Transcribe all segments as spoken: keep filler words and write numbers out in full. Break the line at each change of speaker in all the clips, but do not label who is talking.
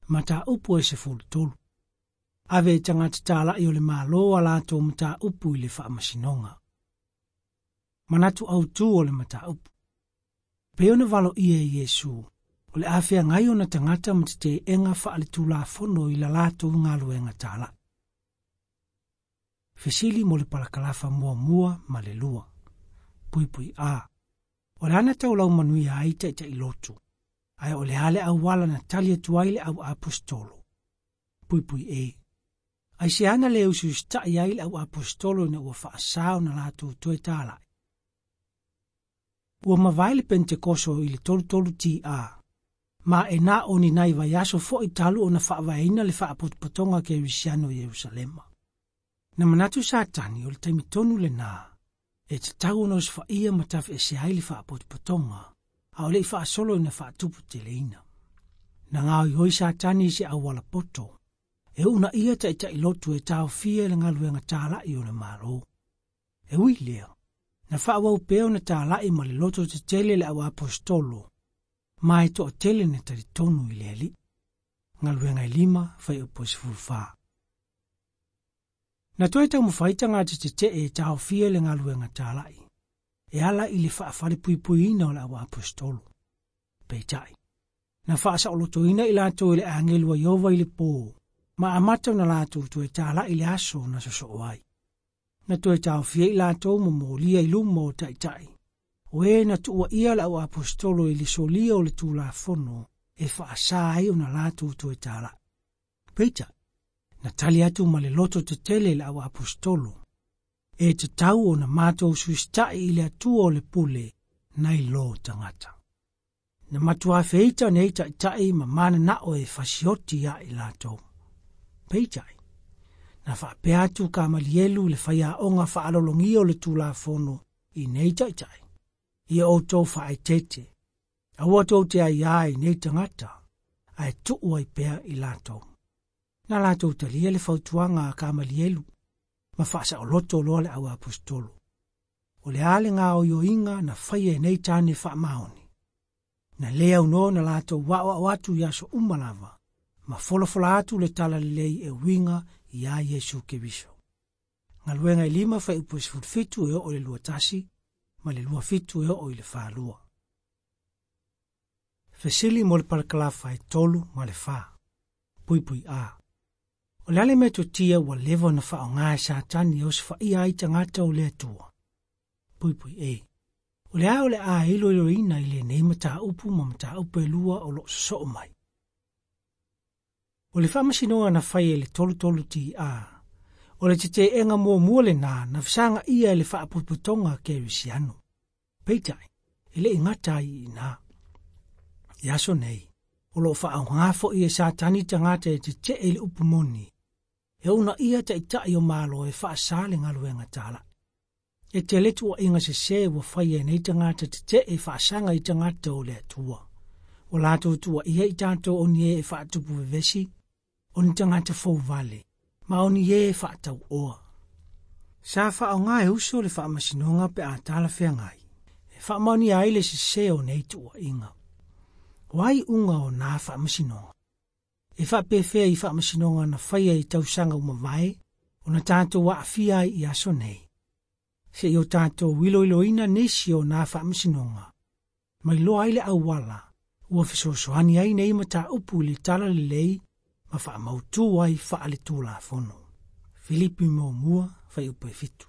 Mataupu e sefulutolu. Ave i tagata tala'i o le Malo a latou mataupu i le faamasinoga. Manatu autū o le mataupu. Pei ona valoia e Iesu, o le a feagai ona tagata ma tete'ega faaletulafono i la latou galuega tala'i. Fesili mo le palakalafa muamua ma le lua. Puipui A. O le ana taulau manuia ai ta'ita'i lotu, ae o le a le auala na tali atu ai le au aposetolo. Puipui E. Aisea na le usiusita'i ai le au aposetolo ina ua faasā ona latou toe tala'i. Ua mavae le Penetekoso i le tolutolu T A, ma e na o ni nai vaiaso fo'i talu ona faavaeina le faapotopotoga kerisiano i Ierusalema. Na manatu Satani o le taimi tonu lenā, e tatau ona osofa'ia ma tafe'ese ai le faapotopotoga, a o le'i faasolo ina faatuputeleina. Na gaoioi Satani i se auala poto, e uunaia ta'ita'i lotu e taofia i le galuega tala'i o le Malo. E ui lea, na faaauau pea ona tala'i ma le loto tetele le au aposetolo, ma e to'atele na talitonu i le Alii. Galuega e lima, fuaiupu e sefulufā. Na toe taumafai tagata tete'e e taofia le galuega tala'i, e ala i le faafalepuipuiina o le au aposetolo. Peitai, na faasaolotoina i latou e le agelu a Ieova i le pō, ma amata ona latou toe tala'i le aso na sosoo ai. Na toe taofia i latou ma molia i luma o ta'ita'i, o e na tuua'ia le au aposetolo i le solia o le tulafono e faasā ai ona latou toe tala'i. Peitai, na tali atu ma le loto tetele le au aposetolo, e tatau ona matou usiusita'i i le Atua o le pule nai lo tagata. Na matuā feita nei ta'ita'i ma manana'o e fasioti ia i latou. Peitai, na faapea atu Kamalielu le faiaoga faalologia o le tulafono i nei ta'ita'i, ia outou faaeteete, aua tou te aiā i nei tagata, ae tuu ai pea i latou. Na latou talia le fautuaga a Kamalielu, ma faasaoloto loa le au aposetolo. O le a le gaoioiga na faia e nei tane faamaoni. Na le aunoa na latou aoao atu i aso uma lava, ma folafola atu le talalelei e uiga iā Iesu Keriso. Galuega e lima fuaiupu e sefulufitu e oo i le lua tasi, ma le lua fitu e oo i le falua. Fesili mo le palakalafa e tolu ma le fā. Puipui A. O le a le metotia ua leva ona faaaogā e Satani e osofa'ia ai tagata o le Atua. Puipui E. O le a o le a iloiloina i lenei mataupu ma mataupu e lua o loo sosoo mai. O le faamasinoga na faia i le tolutolu T A, o le tete'ega muamua lenā na fesagaia e le faapotopotoga kerisiano. Peitai, e le'i gata ai i inā. I aso nei, o loo faaogā fo'i e Satani tagata e tete'e i le upu moni, e uunaia ta'ita'i o Malo e faasā le galuega tala'i. E tele tuua'iga sesē ua faia e nei tagata tete'e faasaga i tagata o le Atua. Ua latou tuua'ia i tatou o ni e e faatupu vevesi, o ni tagata fouvale, ma o ni e e faatau'oa. Sa faaogā e uso le faamasinoga pe a talafeagai, e faamaonia ai le sesē o nei tuua'iga. O ai uga o nā faamasinoga. E faapefea i faamasinoga na faia i tausaga ua mavae, ona tatou aafia ai i aso nei. Se'i o tatou iloiloina nisi o nā faamasinoga, ma iloa ai le auala, ua fesoasoani ai nei mataupu i le talalelei ma faamautū ai faaletulafono. Filipi muamua fuaiupu e fitu.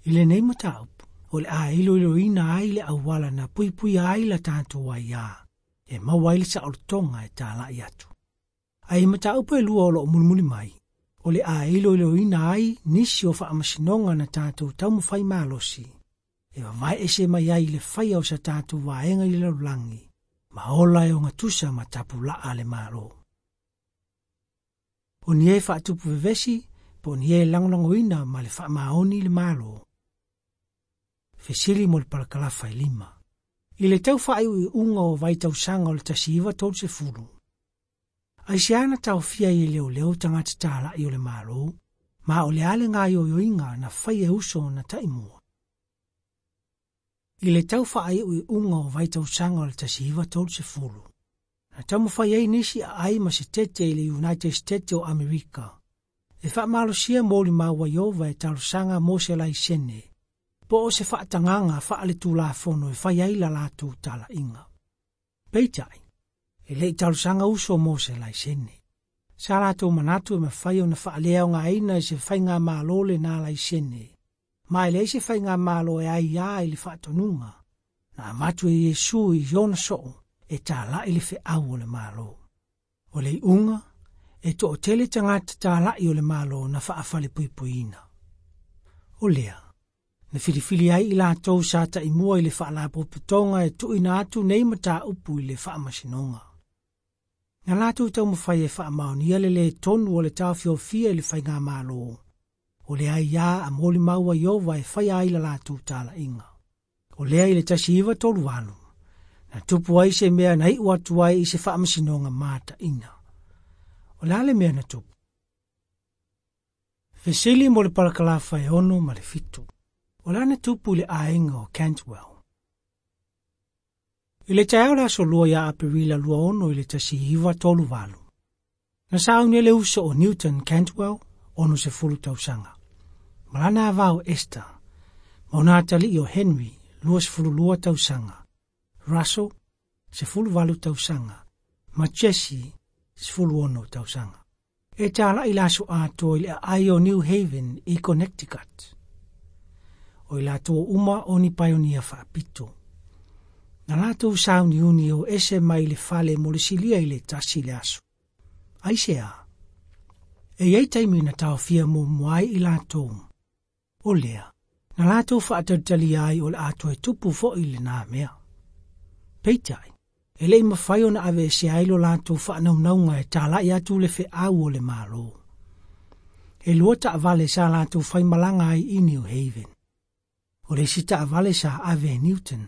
I lenei mataupu, o le a iloiloina ai le auala na puipuia ai la tatou aiā, e maua ai le saolotoga e tala'i atu. Ae i mataupu e lua o loo mulimuli mai, o le a iloiloina ai nisi o faamasinoga na tatou taumafai malosi, e vavae'ese mai ai i le faia o sa tatou vaega i le lalolagi, ma ola e ogatusa ma tapula'a le Malo. O ni e faatupu vevesi, po o ni e lagolagoina ma le faamaoni le Malo. Fesili mo le palakalafa e lima. I le tau faaiuiuga o vaitausaga o le tasi iva tolu sefulu. Aisea na taofia ai e leoleo tagata tala'i o le Malo, ma o le a le gaoioiga na faia e uso na ta'imua. I le tau faaiuiuga o vaitausaga o le tasi iva tolu sefulu, Na taumafai ai nisi aai ma se tete i le United States o Amerika. E faamalosia molimau a Ieova e talosaga mo se laisene, po o se faatagaga faaletulafono e fai ai la latou talaiga. Peitai, e le i talosaga uso mo se laisene. Sa latou manatu e mafai ona faaleaogaina e se faigamalo lena laisene, ma e leai se faigamalo e aiā i le faatonuga, na avatu e Iesu i ona soo e tala'i le feau o le Malo. O le iuga, e toatele tagata tala'i o le Malo na faafalepuipuiina. O lea, na filifili ai i latou sa taimua i le faalapotopotoga e tuuina atu nei mataupu i le faamasinoga. Na latou taumafai e faamaonia le lē tonu o le taofiofia i le faigamalo, o le aiā a molimau a Ieova e faia ai la latou talaiga. O lea i le tasi iva tolu valu, na tupu ai se mea na iu atu ai i se faamasinoga mataina. O le a le mea na tupu? Fesili mo le palakalafa e ono ma le fitu. O le a na tupu i le aiga o Cantwell? I le taeao le aso lua ia Aperila lua ono i le tasi iva tolu valu. Na sauni le uso o Newton Cantwell, ono sefulu tausaga. Ma lana ava o Esther, ma ona atalii o Henry, lua sefulu lua tausaga. Russell, sefulu valu tausaga. Ma Jesse, sefulu ono tausaga. E tala'i le aso atoa i le aai o New Haven i Connecticut. O i latou uma o ni paionia faapito. Na latou sauniuni o ese mai le fale mo le silia i le tasi le aso. Aisea? E iai taimi na taofia muamua ai i latou. O lea, na latou faatalitalia ai o le a toe tupu fo'i lenā mea. Peitai, e le i mafai ona aveesea ai lo latou faanaunauga e tala'i atu le feau o le Malo. E lua taavale sa latou faimalaga ai i New Haven. O le isi taavale sa ave e Newton,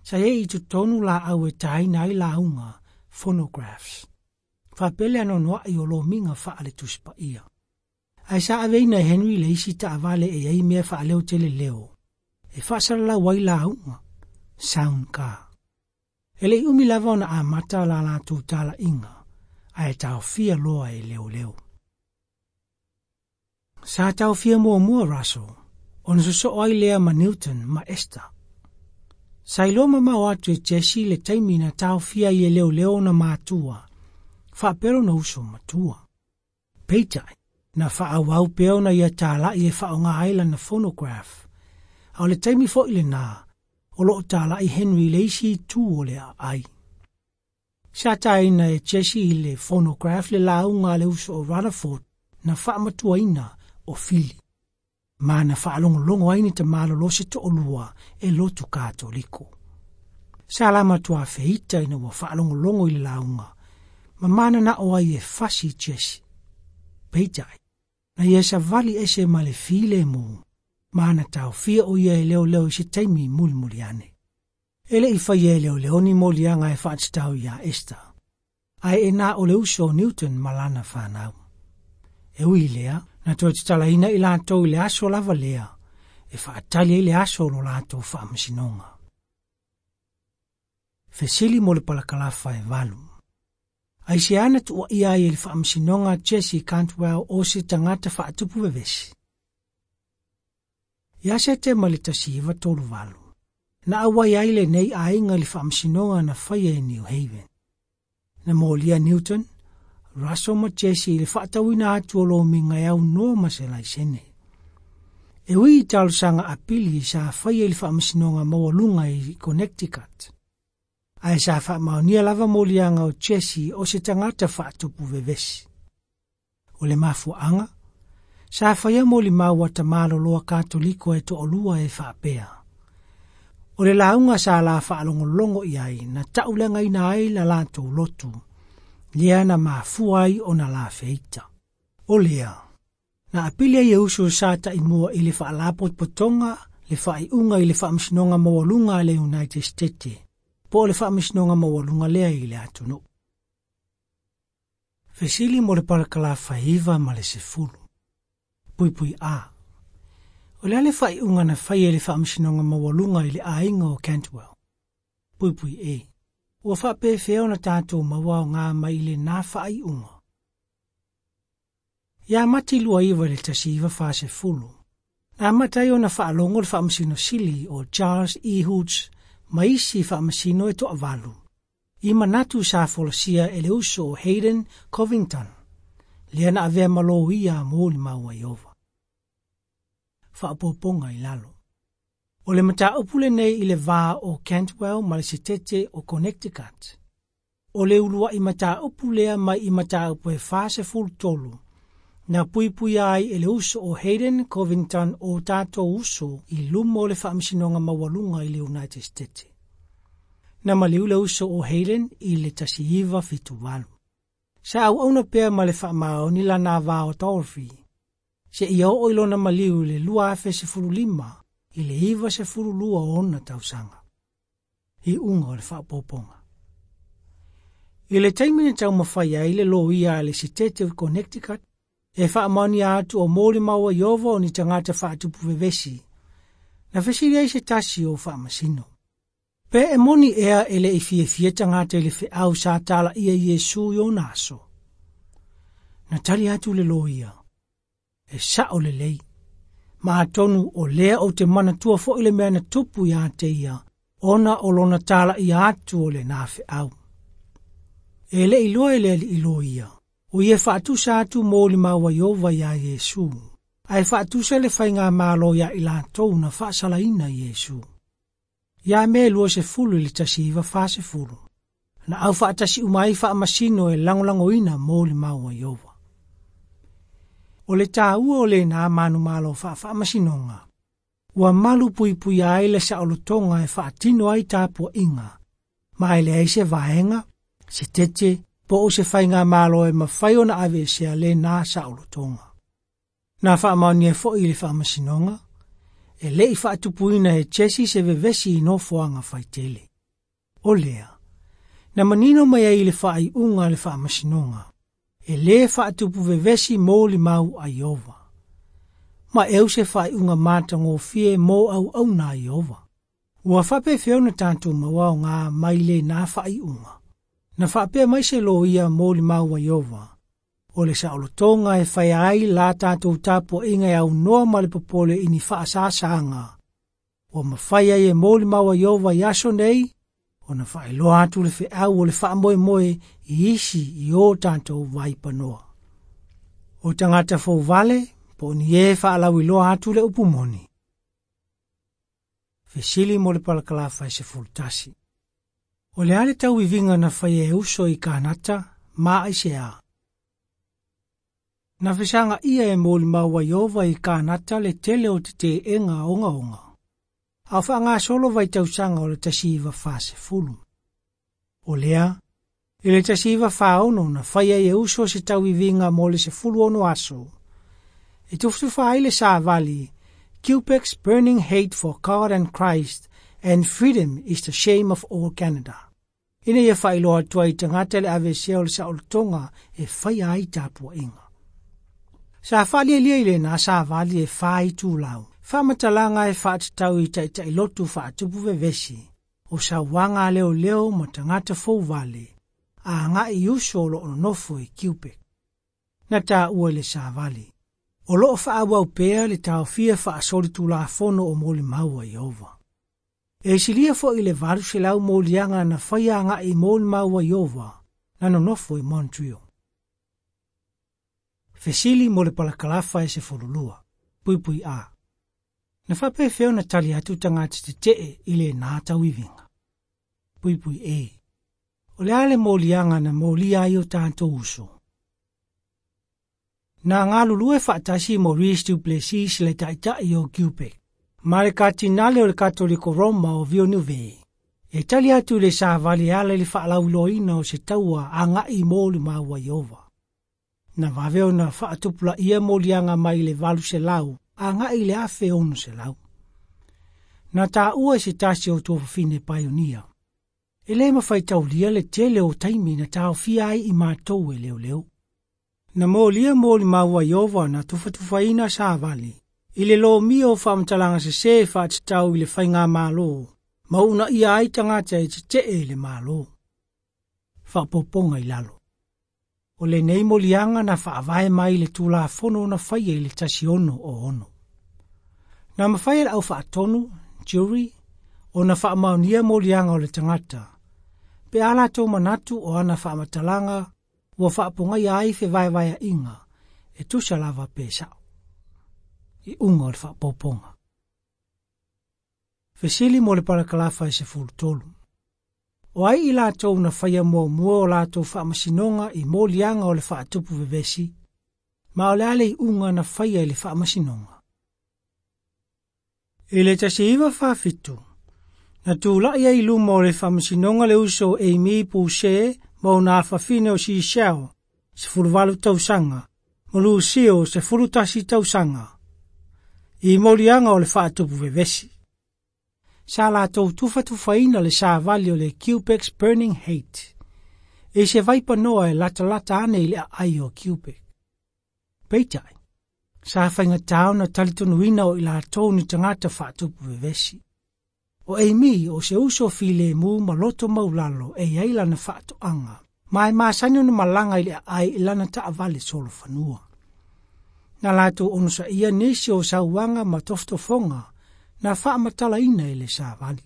sa i ai i totonu laau e taina ai lauga, phonographs. Faapea le anoanoai o lomiga faale-Tusi Paia. Ae sa aveina e Henry le isi taavale e i ai mea faaleotele leo, e faasalalau ai lauga, sound car. E le i umi lava ona amata la latou talaiga, ae taofia loa e leoleo. Sa taofia muamua Russell, ona sosoo ai lea ma Newton ma Esther. Sa iloa mamao atu e Jesse le taimi na taofia ai e leoleo ona matua, faapea lona uso matua. Peitai, na faaauau pea ona ia tala'i e faaaoga ai lana phonograph, a o le taimi fo'i lenā, o loo tala'i Henry le isi itu o le aai. Sa taina e Jesse i le phonograph le lauga a le uso o Rutherford na faamatuaina o Fili. Ma na faalogologo ai ni tamalolo se toalua e lotu Katoliko. Sa la matua feita ina ua faalogologo i le lauga, ma mananao ai e fasi Jesse. Peitai, na ia savali ese ma le filemu, ma na taofia o ia e leoleo i se taimi mulimuli ane. E le i faia e leoleo ni moliaga e faatatau iā Esther, ae e na o le uso o Newton ma lana fanau. E ui lea, na toe tatalaina i latou i le aso lava lea, e faatali ai le aso o lo latou faamasinoga. Fesili mo le palakalafa e valu. Aisea na tuuaia ai e le faamasinoga Jesse Cantwell o se tagata faatupu vevesi? Ia Setema le tasi iva tolu valu. Na auai ai lenei aiga i le faamasinoga na faia i New Haven. Na molia Newton, Russell ma Jesse i le faatauina atu o lomiga e aunoa ma se laisene. E ui i talosaga apili sa faia i le faamasinoga maualuga i Connecticut. Ae sa faamaonia lava moliaga o Jesse o se tagata faatupu vevesi. O le mafuaaga, sa faia molimau a tamaloloa Katoliko e toalua e faapea. O le lauga sa la faalogologo i ai na tauleagaina ai la latou lotu, lea na mafua ai ona la feita. O lea, na apili ai e uso sa taimua i le faalapotopotoga le faaiuga i le faamasinoga maualuga a le United States, po o le faamasinoga maualuga lea i le atunuu. Fesili mo le palakalafa iva ma le sefulu. Puipui A. O le a le faaiuga na faia e le faamasinoga maualuga i le aiga o Cantwell? Puipui E. Ua faapefea ona tatou maua aoga mai i lenā faaiuga. Ia Mati lua iva i le tasi iva fasefulu, na amata ai ona faalogo le faamasino sili o Charles E. Hoots ma isi faamasino e toavalu, i manatu sa folasia e le uso o Hayden Covington, lea na avea ma loia a molimau a Ieova. Faaopoopoga i lalo. O le mataupu lenei i le va o Cantwell ma le Setete o Connecticut. O le uluai mataupu lea mai i mataupu e fasefulu tolu, na puipuia ai e le uso o Hayden Covington o tatou uso i luma o le Faamasinoga Maualuga i le United States. Na maliu le uso o Hayden i le tasi iva fitu valu. Sa auauna pea ma le faamaoni lana va o Dorothy, seia oo i lona maliu i le lua afe sefulu lima i le iva sefulu lua ona tausaga. Iuga o le faaopoopoga. I le taimi na taumafai ai le loia a le Setete o Connecticut, e faamaonia atu o molimau a Ieova o ni tagata faatupu vevesi, na fesili ai se tasi o faamasino. Pe e moni ea e le'i fiafia tagata i le feau sa talaia Iesu i ona aso. Na tali atu le loia, e sa'o lelei, ma atonu o lea ou te manatua fo'i le mea na tupu iā te ia, ona o lona talaia atu o lenā feau. E le'i iloa e le alii loia, o ia faatusa atu molimau a Ieova iā Iesu, ae faatusa le faigamalo iā i latou na faasalaina Iesu. Ia Me luasefulu i le tasi iva fasefulu, na aufaatasi uma ai faamasino e lagolagoina molimau a Ieova. O le tāua o lenā manumalo faafaamasinoga, ua malu puipuia ai le saolotoga e faatino ai tapuaiga, ma e leai se vaega, se tete, po o se faigamalo e mafai ona aveesea lenā saolotoga. Na faamaonia fo'i i le faamasinoga, e le'i faatupuina e Jesse se vevesi i nofoaga faitele. O lea, na manino mai ai i le faaiuga a le faamasinoga, e lē faatupu vevesi molimau a Ieova. Ma e au se faaiuga matagofie mo auauna a Ieova. Ua faapefea ona tatou maua aoga mai lenā faaiuga. Na faapea mai se loia molimau a Ieova, o le saolotoga e faia ai la tatou tapuaiga e aunoa ma le popole i ni faasāsāga. Ua mafai ai e molimau a Ieova i aso nei, ona faailoa atu le feau o le faamoemoe i isi i o tatou vaipanoa. O tagata fouvale, po o ni e faalauiloa atu le upu moni. Fesili mo le palakalafa e sefulu tasi. O le a le tauiviga na faia e uso i Kanata, ma aisea. Na fesagaia e molimau a Ieova i Kanata le tele o tete'ega ogaoga, a o faagasolo vaitausaga o le tasi iva fasefulu. O lea, i le tasi iva faono na faia ai e uso se tauiviga mo le sefulu ono aso, e tufatufa ai le savali Quebec's Burning Hate for God and Christ and Freedom is the Shame of All Canada, ina ia faailoa atu ai i tagata le aveesea o le saolotoga e faia ai tapuaiga. Sa faalialia i lenā savali e fa itulau, faamatalaga e faatatau i taitailotu faatupu vevesi, o sauaga a leoleo ma tagata fouvale, a aga'i i uso o loo nonofo i Quebec. Na taua i le savali, o loo faaauau pea le taofia faasolitulafono o molimau a Ieova. E silia fo'i le valu selau moliaga na faia aga'i i molimau a Ieova na nonofo i Montreal. Fesili mo le palakalafa e sefulu lua. Puipui A. Na faapefea ona tali atu tagata tetee i lenā tauiviga. Puipui E. O le a le moliaga na molia ai o tatou uso. Na galulue faatasi Maurice Duplessis le taitai o Quebec, ma le Katinale o le Katoliko Roma o Villeneuve, e tali atu i le savali e ala i le faalauiloaina o se taua aga'i i molimau a Ieova. Na vave ona faatupulaia moliaga mai le valu selau aga'i i le afe ono selau. Na taua e se tasi o tuafafine paionia, e lē mafai taulia le tele o taimi na taofia ai i matou e leoleo. Na molia molimau a Ieova na tufatufaina savali, i le lomia o faamatalaga sesē faatatau i le faigamālō, ma uunaia ai tagata e tetee i le Malo. Faaopoopoga i lalo. O lenei moliaga na faavae mai le Tulafono na faia i le tasi ono o ono. Na mafai e le aufaatonu, jury, ona faamaonia moliaga o le tagata, pe a latou manatu o ana faamatalaga ua faapogaia ai fevaevaeaiga e tusa lava pe sao. Iuga o le faaopoopoga. Fesili mo le parakalafa e sefulu tolu. O ai i latou na faia muamua o latou faamasinoga i moliaga o le faatupu vevesi, ma o le a le iuga na faia i le faamasinoga. I le tasi iva faafitu, na tula'i ai i luma o le faamasinoga le uso Amy Boucher ma ona afafine o Sisiao, sefulu valu tausaga, ma Lusio sefulu tasi tausaga, i moliaga o le faatupu vevesi. Sa latou tufatufaina le savali o le Quebec's Burning Hate, i se vaipanoa e latalata ane i le aai o Quebec. Peitai, sa faigatā ona talitonuina o i latou ni tagata faatupu vevesi. O Amy o se uso filemu ma loto maulalo e i ai lana faatoaga, ma e masani ona malaga i le aai i lana taavale solofanua. Na latou onosaia nisi o sauaga ma tofotofoga na faamatalaina e le savali.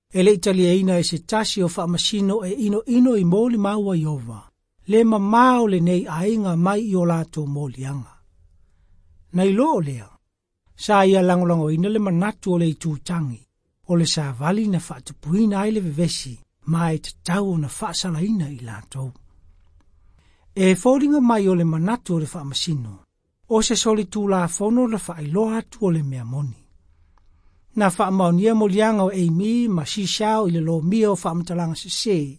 E le i taliaina e se tasi o faamasino e inoino i molimau a Ieova, le mamā o lenei aiga mai i o latou moliaga. Na iloa o lea, sa ia lagolagoina le manatu o le itutagi, o le savali na faatupuina ai le vevesi, ma e tatau ona faasalaina i latou. E foliga mai o le manatu o le faamasino, o se solitulafono na faailoa atu o le mea moni. Na faamaonia moliaga o Amy ma Sisiao i le lomia o faamatalaga sesē,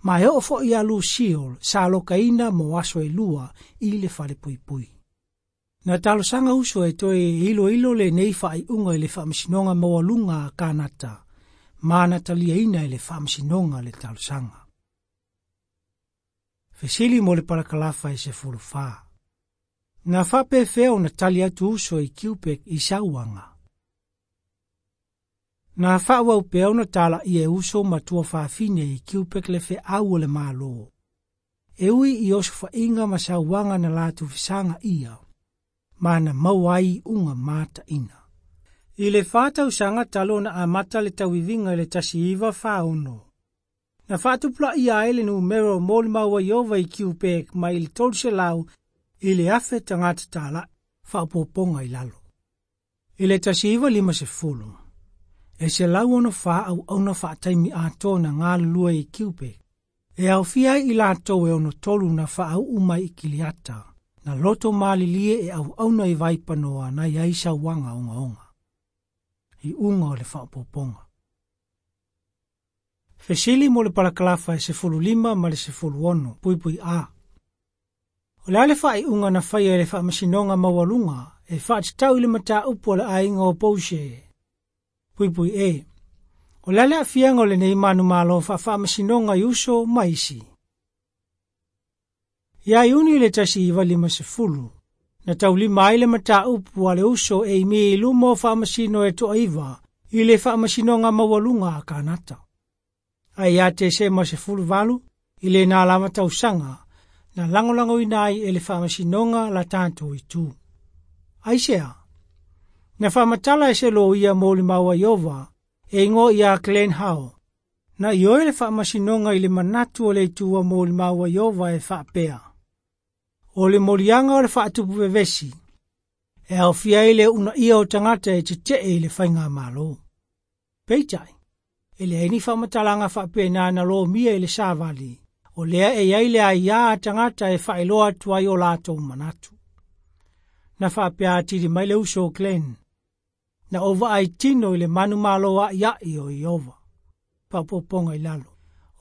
ma e oo foi ia Lucille sa alokaina mo aso e lua i le falepuipui. Na talosaga uso e toe iloilo lenei faaiuga i le faamasinoga maualuga a Kanata, ma na taliaina e le faamasinoga le talosaga. Fesili mo le parakalafa e sefulu fa. Na faapefea ona tali atu uso i Quebec i sauaga. Na faaauau pea ona talaia e uso ma tuafafine i Quebec le feau o le Malo. E ui i osofaiga ma sauaga na latou fesagaia, ma na maua ai iuga mataina. I le fa tausaga talu ona amata le tauiviga i le tasi iva fa ono, na faatupulaia ai le numera o molimau a Ieova i Quebec mai le tolu selau i le afe tagata tala'i, faaopoopoga i lalo. I le tasi iva lima sefulu, e selau ono fa auauna faataimi atoa na galulue i Quebec, e aofia ai i latou e ono tolu na faauu mai i Kiliata, na loto malilie e auauna i vaipanoa na i ai sauaga ogaoga. Iuga o le faaopoopoga. Fesili mo le parakalafa e sefulu lima ma le sefulu ono, puipui A. O le a le faaiuga na faia e le faamasinoga maualuga e faatatau i le mataupu a le aiga o Boucher. Puipui E. O le a le aafiaga o lenei manumalo faafaamasinoga i uso ma isi. Ia Iuni le tasi iva lima sefulu, na taulima ai le mataupu a le uso Amy i luma o faamasino e toaiva i le faamasinoga maualuga a Kanata. Ae ia Tesema sefulu valu, i lena lava tausaga, na lagolagoina ai e le faamasinoga la tatou itu. Aisea? Na faamatala e se loia molimau a Ieova, e igoa ia Glenn How, na ioe le faamasinoga i le manatu o le itu a molimau a Ieova e faapea. O le moliaga o le faatupu vevesi, e aofia ai le uunaia o tagata e tetee i le faigamalo. Peitai, e leai ni faamatalaga faapena na lomia i le savali, o lea e i ai le aiā a tagata e faailoa atu ai o latou manatu. Na faapea atili mai le uso o Glenn, na ou vaai tino i le manumalo a'ia'i o Ieova. Faaopoopoga i lalo.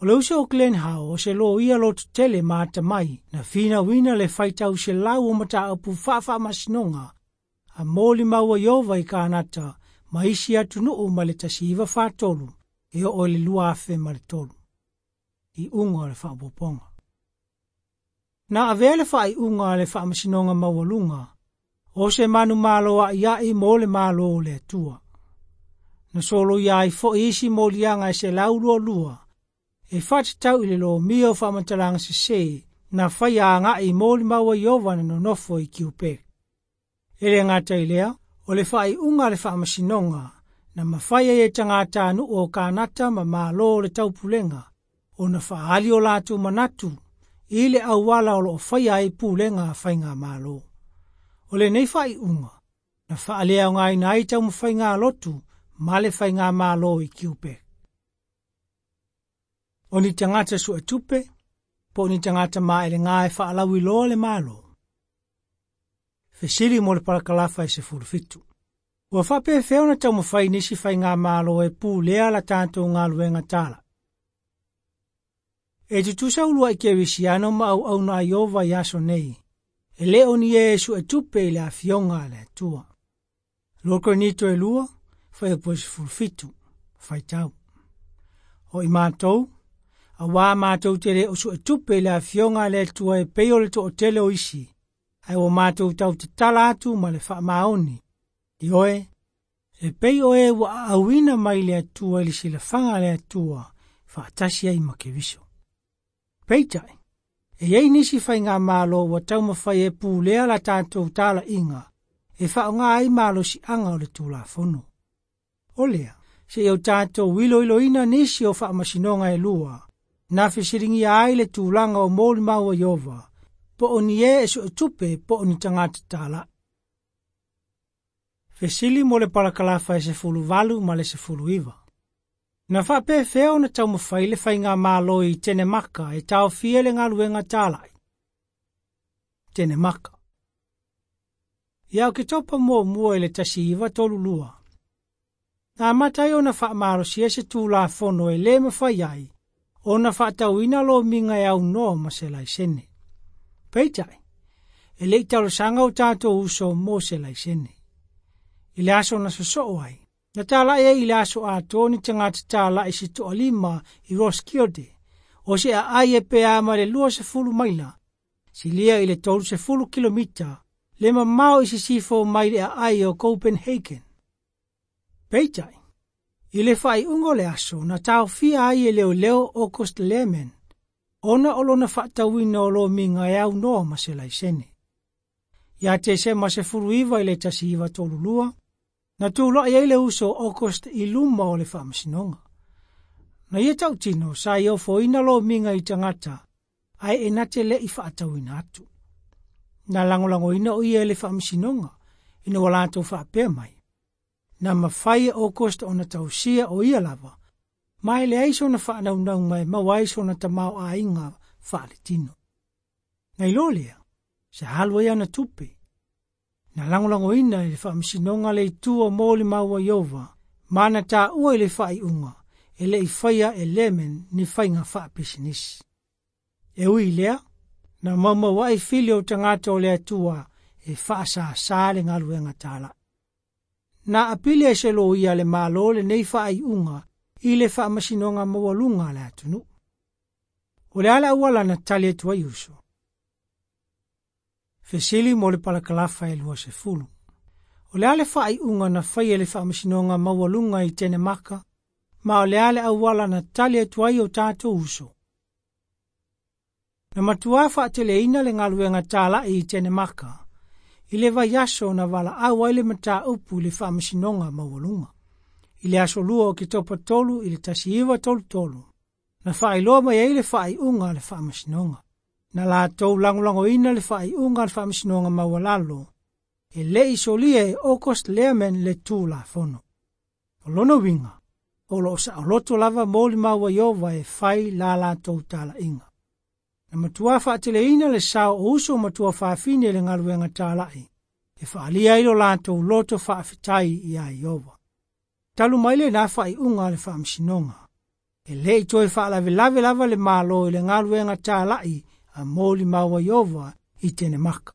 O le uso o Glenn How o se loia lototele ma atamai na finauina le faitau selau o mataupu faafaamasinoga a molimau a Ieova i Kanata ma isi atunuu mai le tasi iva fatolu e oo i le lua afe ma le tolu. Iuga o le faaopoopoga. Na avea le faaiuga a le faamasinoga maualuga o se manumalo a'ia'i mo le Malo o le Atua. Na soloia ai foi isi moliaga e selau lua lua E faatatau i le lomia o faamatalaga sesē na faia agaʻi i molimau a Ieova na nonofo i Quebec. E le gata i lea, o le faaiuga a le faamasinoga na mafai ai e tagatanuu o Kanata ma Malo o le Taupulega ona faaali o latou manatu i le auala o loo faia ai pulega a faigamalo. O lenei faaiuga na faaleaogaina ai taumafaiga a lotu ma le faigamalo i Quebec. O ni tagata suetupe po o ni tagata maelega e faalauiloa le Malo. Fesili mo le palakalafa e sefulu fitu. Ua faapefea ona taumafai nisi faigamalo e pulea la tatou galuega tala. E tutusa uluai kerisiano ma auauna a Ieova i aso nei, e le o ni e suetupe i le afioga a le Atua. Lua Korinito e lua, fuaiupu e sefulu fitu, faitau. O i matou, auā matou te le o suetupe i le afioga a le Atua e pei o le toatele o isi, ae ua matou tautatala atu ma le faamaoni. Ioe, e pei o e ua aauina mai le Atua i le silafaga a le Atua, faatasi ai ma Keriso. Peitai, e iai nisi faigamalo ua taumafai e pulea la tatou talaiga e faaaoga ai malosiaga o le Tulafono. O lea, seia o tatou iloiloina nisi o faamasinoga e lua, na fesiligia ai le tulaga o molimau a Ieova, po o ni e e suetupe po o ni tagata talai. Fesili mo le palakalafa e sefulu valu ma le sefulu iva. Na faapefea ona taumafai le faigamalo i Tenemaka e taofia le galuega talai. Tenemaka. Ia Oketopa muamua i le tasi iva tolu lua. Na amata ai ona faamalosia se tulafono e le mafai ai ona faatauina lomiga e aunoa ma se laisene. Peitai, e le i talosaga o tatou uso mo se laisene. I le aso na sosoo ai, na talai ai i le aso atoa ni tagata talai se toalima i Roskilde, o se aai e pea ma le lua sefulu maila, silia i le tolu sefulu kilomita, le mamao i sisifo mai le aai o Copenhagen. Peitai, i le faaiuga o le aso na taofia ai e leoleo August Lehmann, ona o lona faatauina o lomiga e aunoa ma se laisene. Ia Tesema sefulu iva i le tasi iva tolu lua, na tulai ai le uso August i luma o le faamasinoga. Na ia tautino sa i ofoina lomiga i tagata, ae e na te le i faatauina atu. Na lagolagoina o ia e le faamasinoga, ina ua latou faapea mai. Na mafai e August ona tausia o ia lava, ma e leai sona faanaunauga e maua ai sona tamaoaiga faaletino. Na iloa lea, sa alu ai ana tupe. Na lagolagoina e le faamasinoga le itu o molimau a Ieova, ma na taua i le faaiuga e le i faia e Lehmann ni faiga faapisinisi. E ui i lea, na maumauai fili o tagata o le Atua e faasāsā le galuega talai. Na apili ai se loia le Malo lenei faaiuga i le faamasinoga maualuga a le atunuu. O le a le auala na tali atu ai uso. Fesili mo le palakalafa e lua sefulu. O le a le faaiuga na faia e le faamasinoga maualuga i Tenemaka, ma o le a le auala na tali atu ai o tatou uso. Na matuā faateleina le galuega talai i Tenemaka, i le vaiaso na valaau ai le mataupu i le faamasinoga maualuga. I le aso lua o Oketopa tolu i le tasi iva tolu tolu, na faailoa mai ai le faaiuga a le faamasinoga. Na latou lagolagoina le faaiuga a le faamasinoga maualalo, e le i solia e August Lehmann le Tulafono. O lona uiga, o loo saoloto lava molimau a Ieova e fai la latou talaiga. Na matuā faateleina le sao o uso matua fafine i le galuega talai, e faalia ai lo latou loto faafetai iā Ieova. Talu mai lenā faaiuga a le faamasinoga, e le i toe faalavelave lava le Malo i le galuega talai a molimau a Ieova i Tenemaka.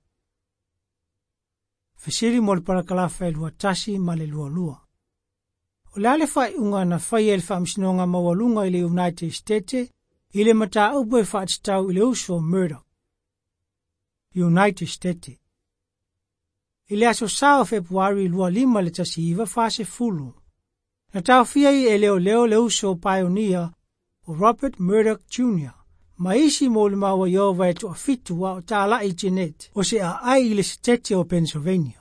Fesili mo le palakalafa e lua tasi ma le lua lua. O le a le faaiuga na faia e le faamasinoga maualuga i le United States i le mataupu e faatatau i le uso Murdoch. United States. I le aso sa o Fepuari lua lima le tasi iva fasefulu, na taofia ai e leoleo le uso Pioneer o Robert Murdoch Junior Ma isi molimau a Ieova e toafitu a o talaʻi Jeanette o se aʻai i le setete o Pennsylvania.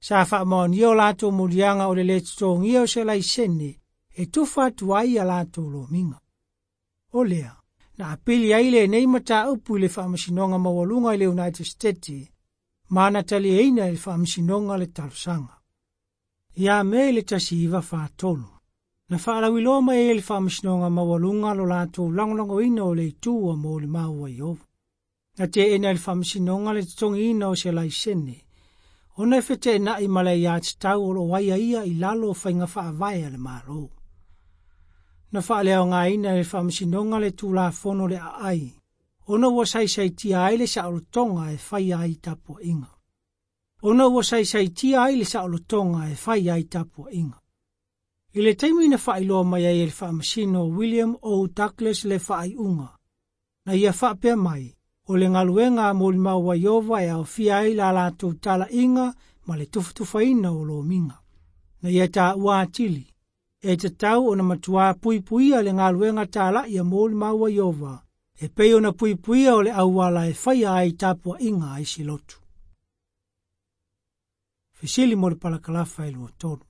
Sa faamaonia o latou moliaga o le lē totogia o se laisene e tufa atu ai ia latou lomiga. O lea, na apili ai lenei mataupu i le faamasinoga maualuga i le United States ma na taliaina e le faamasinoga le talosaga. Ia Me i le tasi iva fatolu. Na faalauiloa mai ai e le faamasinoga maualuga lo latou lagolagoina o le itu a molimau a Ieova. Na teena e le faamasinoga le totogiina o se laisene, ona e feteenai ma le aiatatau o loo aiaia i lalo o faiga faavae a le Malo. Na faaleaogaina e le faamasinoga le tulafono le aai, ona ua saisaitia ai le saolotoga e faia ai tapuaiga. Ona ua saisaitia ai le saolotoga e faia ai tapuaiga. I le taimi na faailoa mai ai e le faamasino William O. Douglas le faaiuga, na ia faapea mai, o le galuega a molimau a Ieova e aofia ai la latou talaiga ma le tufatufaina o lomiga. Na ia taua atili, e tatau ona matuā puipuia le galuega talaʻi a molimau a Ieova, e pei ona puipuia o le auala e faia ai tapuaiga a isi lotu. Fesili mo le palakalafa e lua tolu.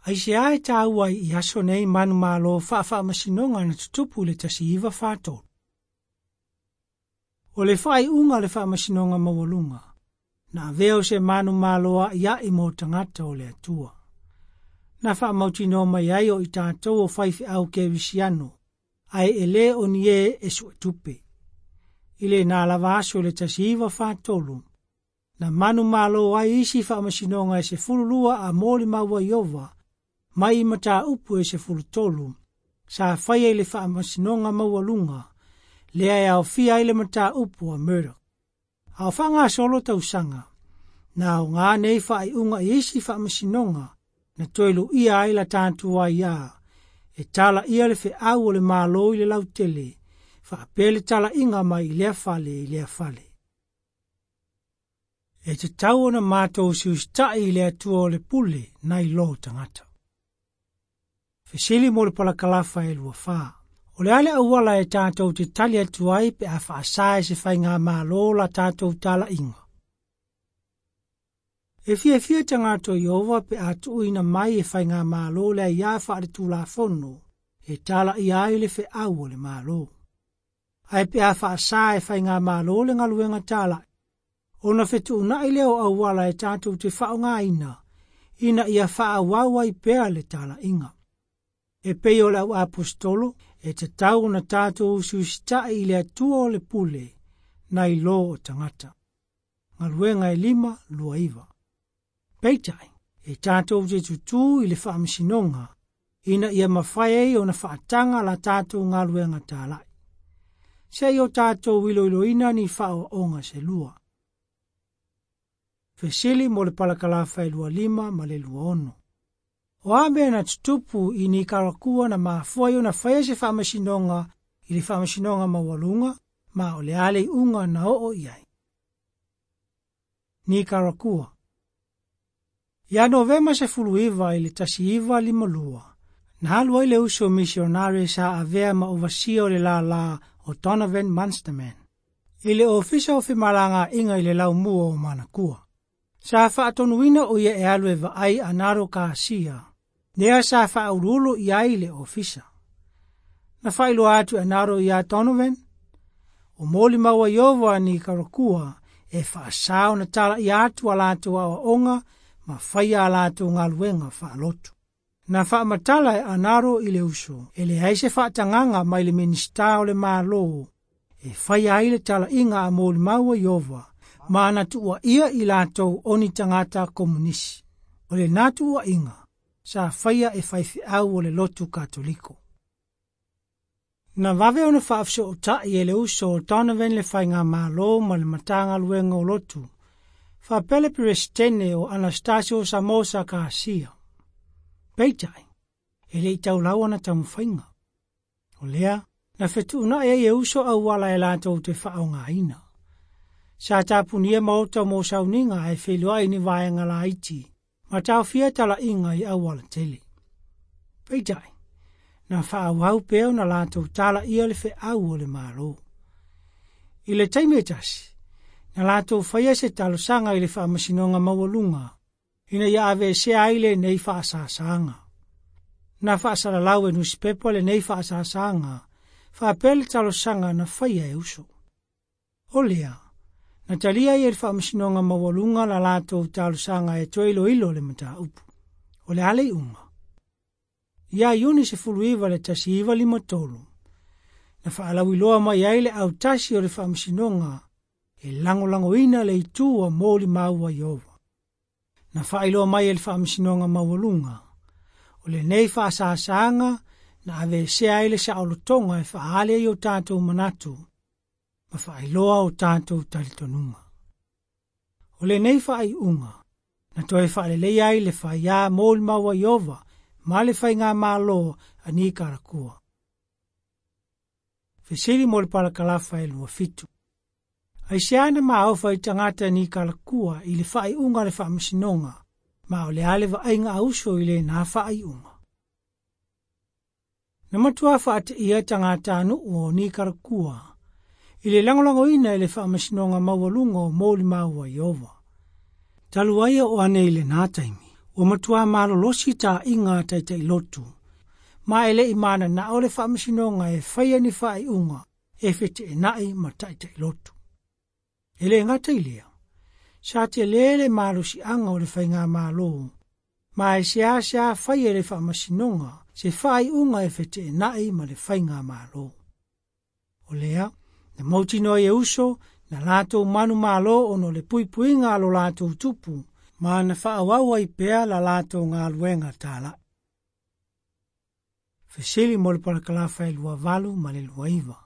Aisea e taua ai i aso nei manumalo faafaamasinoga na tutupu i le tasi iva fatolu. O le faaiuga o le faamasinoga maualuga, na avea o se manumalo aʻiaʻi mo tagata o le Atua. Na faamautinoa mai ai o i tatou o faifeau kerisiano, ae e lē o ni ē e suetupe. I lenā lava aso i le tasi iva fatolu, na manumalo ai isi faamasinoga e sefululua a molimau a Ieova, mai i mataupu e sefulutolu, sa faia i le faamasinoga maualuga, lea e aofia ai le mataupu a Murdoch. A o faagasolo tausaga, na aoga nei faaiuga i isi faamasinoga, na toe luia ai la tatou aiā, e talaia le feau o le Malo i le lautele, faapea le talaiga mai i lea fale i lea fale. E tatau ona matou usiusitaʻi i le Atua o le pule nai lo tagata. Fesili mo le palakalafa e lua fa. O le a le auala e tatou te tali atu ai pe a faasā e se faigamalo la tatou talaiga. E fiafia tagata o Ieova pe a tuuina mai e faigamalo le aiā faaletulafono e talaia ai le feau o le Malo. Ae pe a faasā e faigamalo le galuega talaʻi, ona fetuunai lea o auala e tatou te faaaogaina ina ia faaauau ai pea le talaiga. E pei o le au aposetolo, e tatau ona tatou usiusitaʻi i le Atua o le pule nai lo o tagata. Galuega e lima lua iva. Peitai, e tatou te tutū i le faamasinoga, ina ia mafai ai ona faataga la tatou galuega talaʻi. Se i o tatou iloiloina ni faaoaoga se lua. Fesili mo le palakalafa e lua lima ma le lua ono. O a mea na tutupu i Nikarakua na mafua ai ona faia se faamasinoga i le faamasinoga maualuga ma o le a le iuga na oo i ai. Nikarakua. Ia Novema sefulu iva i le tasi iva lima lua, na alu ai le uso misionare sa avea ma ovasia o le lālā o Donovan Munsterman, i le ofisa o femalagaaiga i le laumua o Manakua. Sa faatonuina o ia e alu e vaai Arnaldo Garcia, lea sa faauluulu i ai le ofisa. Na faailoa atu e Arnaldo iā Donovan, o molimau a Ieova a Nikarakua e faasā ona talaia atu a latou aoaoga ma faia a latou galuega faalotu. Na faamatala e Arnaldo i le uso, e leai se faatagaga mai le Minisita o le Malo e faia ai le talaiga a molimau a Ieova, ma na tuuaia i latou o ni tagata komunisi. O lenā tuuaiga, sa faia e faifeau o le lotu Katoliko. Na vave ona faafesootai e le uso o Donovan le faigamalo ma le Matagaluega o Lotu, faapea le Peresetene o Anastasio Somoza Garcia. Peitai, e le i taulau ana taumafaiga. O lea, na fetuunai ai e uso auala e latou te faaaogaina. Sa tapunia maota mo sauniga ae feiloai ni vaega laiti, ma taofia talaiga i auala tele. Peitai, Na faaauau pea ona latou talaia le feau o le Malo. I le taimi e tasi, na latou faia se talosaga i le faamasinoga maualuga, ina ia aveesea ai lenei faasasaga. Na faasalalau e nusipepa lenei faasasaga, faapea le talosaga na faia e uso. O lea, na talia ai e le faamasinoga maualuga la latou talosaga e toe iloilo le mataupu. O le a le iuga? Ia Iuni sefulu iva le tasi iva lima tolu, na faalauiloa mai ai le autasi o le faamasinoga e lagolagoina le itu a molimau a Ieova. Na faailoa mai e le faamasinoga maualuga, o lenei faasasaga na aveesea ai le saolotoga e faaali ai o tatou manatu, ma faailoa o tatou talitonuga. O lenei faaiuga, na toe faaleleia ai le faiā molimau a Ieova ma le faigamalo a Nikarakua. Fesili mo le palakalafa e lua fitu. Aisea na maofa i tagata Nikarakua i le faaiuga o le faamasinoga, ma o le a le vaaiga a uso i lenā faaiuga. Na matua faateia tagata nuu o Nikarakua, i le lagolagoina e le faamasinoga maualuga o molimau a Ieova. Talu ai o ane i lenā taimi, ua matua malolosi taaiga a taitailotu, ma e le'i mananao le faamasinoga e faia ni faaiuga e feteenai ma taitailotu. E le gata i lea, sa telē le malosiaga o le faigamalo, ma e seasea faia e le faamasinoga se faaiuga e feteenai ma le faigamalo. O lea, na mautinoa e uso na latou manumalo ona o le puipuiga a lo latou tupu, ma na faaauau ai pea la latou galuega tala'i. Fesili mo le palakalafa e lua valu ma le lua iva.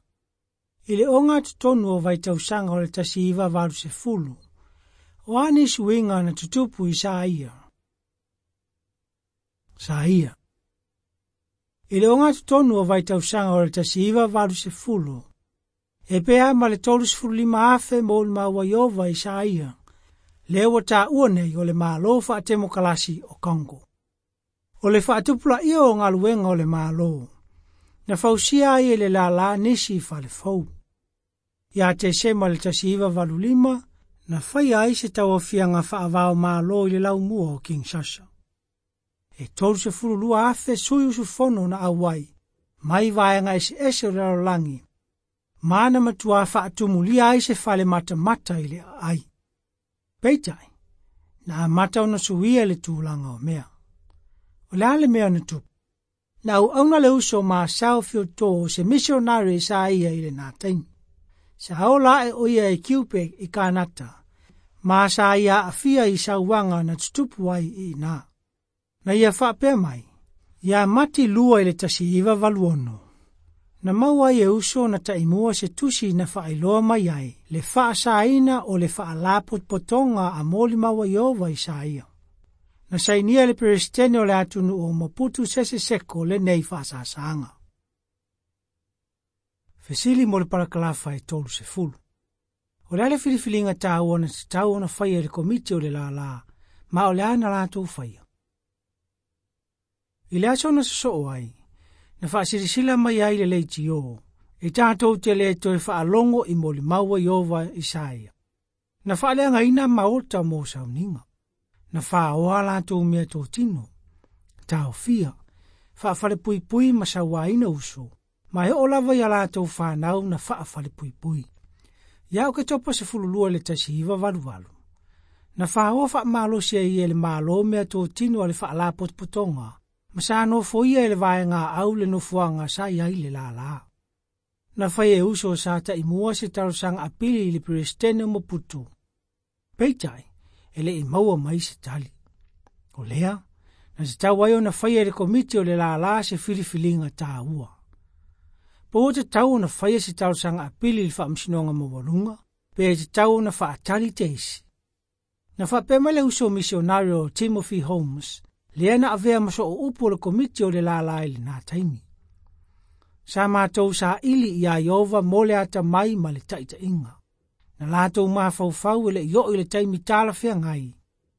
I le ogatotonu o vaitausaga o le tasi iva valu sefulu, o a nisi uiga na tutupu i Saia. Saia. I le ogatotonu o vaitausaga o le tasi iva valu sefulu, e pea ma le tolu sefulu lima afe molimau a Ieova i Saia, lea ua taua nei o le Malo faatemokalasi o Congo. O le faatupulaia o galuega o le Malo, na fausia ai e le lālā nisi falefou. Ia Tesema le tasi iva valu lima, na faia ai se tauaofiaga faavao malo i le laumua o Kinshasa. E tolu sefulu lua afe sui usufono na auai, mai vaega eseese o le lalolagi, ma na matua faatumulia ai se fale matamata i le aai. Peitai, na amata ona suia le tulaga o mea. O le a le mea na tupu? Na auauna le uso ma Sao Fiotō se misionari sa ia i lenā taimi. Sa ola ae o ia i Quebec i Kanata, ma sa ia aafia i sauaga na tutupu ai i inā. Na ia faapea mai, ia Mati lua i le tasi iva valu ono. Na maua ai e uso na taimua se tusi na faailoa mai ai le faasaina o le faalapotopotoga a molimau a Ieova i Saia. Na sainia le peresetene o le atunuu o Mobutu Sese Seko lenei faasasaga. Fesili mo le palakalafa e tolu sefulu. O le a le filifiliga taua na tatau ona faia e le komiti o le lālā, ma o le a na latou faia. I le aso na sosoo ai, na faasilasila mai ai le leitio, e tatou te le toe faalogo i molimau a Ieova i Saia. Na faaleagaina maota mo sauniga. Na faaoa latou meatotino, taofia, faafalepuipui ma sauaina uso, ma e oo lava ia latou fanau na faafalepuipui. Ia Oketopa sefulu lua le tasi iva valu valu. Na faaoa faamalosi ai e le Malo meatotino a le faalapotopotoga, ma sa nofoia e le vaega au le nofoaga sa i ai le lālā. Na fai e uso sa taimua se talosaga apili i le peresetene o Mobutu. Peitai, e le'i maua mai se tali. O lea, na tatau ai ona faia e le komiti o le lālā se filifiliga taua. Po ua tatau ona faia se talosaga apili i le faamasinoga maualuga, pe tatau ona faatali teisi. Na faapea mai le uso misionari o Timothy Holmes, lea na avea ma soo upu o le komiti o le lālā i lenā taimi. Sa matou saili iā Ieova mo le atamai ma le taitaiga. Na latou mafaufau e le'i oo i le taimi talafeagai,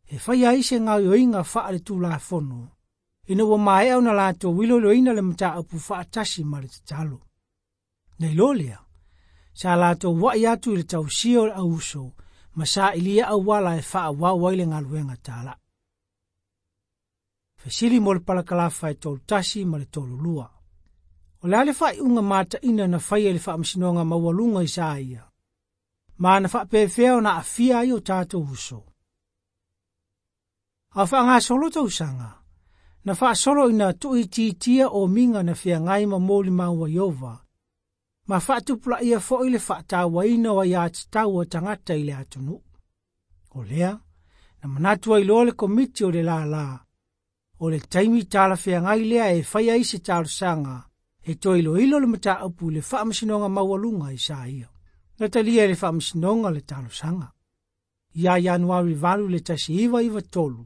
e faia ai se gaoioiga faaletulafono, Ina ua maea ona latou iloiloina le mataupu faatasi ma le tatalo. Nei loa lea, sa latou ua'i atu i le tausia o le auuso ma sailia auala e faaauau ai le galuega tala'i. Fesili mo le palakalafa e tolu tasi ma le tolu lua. O le a le faaiuga mataina na faia i le faamasinoga maualuga i Isaia, ma na faapefea ona aafia ai o tatou uso. A o faagasolo tausaga, na faasolo ina tuuitiitia omiga na feagai ma molimau a Ieova, ma faatupulaia foi le faatauaina o aiatatau a tagata i le atunuu. O lea, na manatu ai loa le komiti o le lālā, o le taimi talafeagai lea e fai ai se talosaga e toe iloilo le mataupu i le faamasinoga maualuga i Isaia. Na talia e le faamasinoga le talosaga. Ia Ianuari valu le tasi iva iva tolu,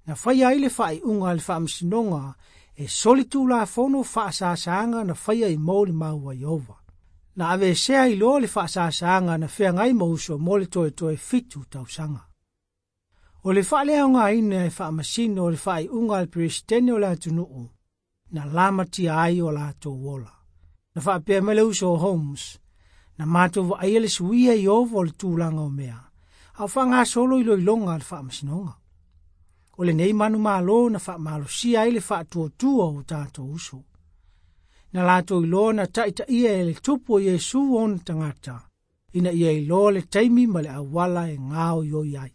na faia ai le faaiuga a le faamasinoga e solitulafono faasasaga na faia i molimau a Ieova. Na aveesea ai loa le faasasaga na feagai ma uso mo le toetoe fitu tausaga. O le faaleaogaina e faamasino o le faaiuga a le Peresetene o le atunuu, na lamatia ai o latou ola. Na faapea mai le uso o Holmes, na matou vaaia le suia i Ieova o le tulaga o mea, a o faagasolo iloiloga a le faamasinoga. O lenei manumalo na faamalosia ai le faatuatua o tatou uso. Na latou iloa na taitaia e le tupu o Iesu ona tagata, ina ia iloa le taimi ma le auala e gaoioi ai.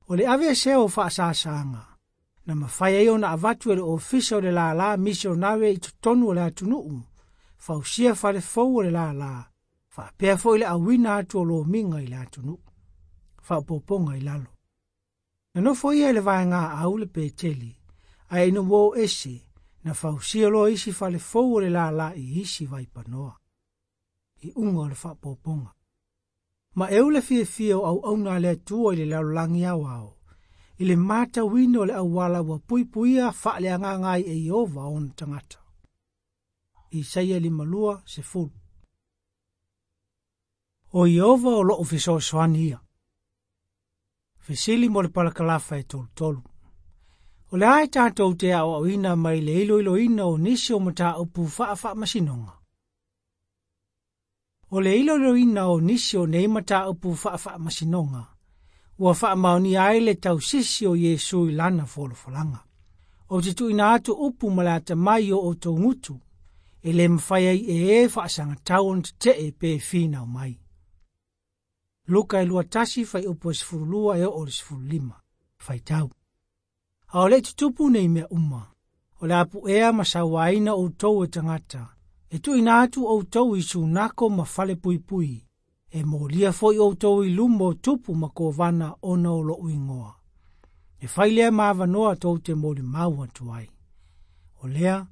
O le aveesea o faasasaga, na mafai ai ona avatu e le ofisa o le lālā misionare i totonu o le atunuu, fausia fale fou o le lālā, faapea foi le auina atu o lomiga i le atunuu. Faaopoopoga i lalo. Na nofo ia i le vaega au le Peteli, ae ina ua o ese, na fausia loa isi fale fou o le lālā i isi vaipanoa. Iuga o le faaopoopoga. Ma e ule fiafia o auauna a le Atua i le lalolagi aoao, i le matauina o le auala ua puipuia faaleagaga ai e Ieova ona tagata. Isaia limalua sefulu. O Ieova o loo fesoasoani ia. Fesili mo le palakalafa e tolutolu. O le a e tatou te aoaoina mai le iloiloina o nisi o mataupu faafaamasinoga. O le iloiloina o nisi o nei mataupu faafaamasinoga, ua faamaonia ai le tausisi o Iesu i lana folafolaga. O te tuuina atu upu ma le atamai o outou gutu, e le mafai ai e e faasagatau ona tetee pe finau mai. Luka e lua tasi fuaiupu e sefululua e oo i le sefululima. Faitau. A o le tutupu nei mea uma, o le a puea ma sauaina outou e tagata, e tuuina atu outou i sunako ma fale puipui, e molia foi outou i luma o tupu ma kovana ona o lou igoa. E fai lea ma avanoa tou te molimau atu ai. O lea,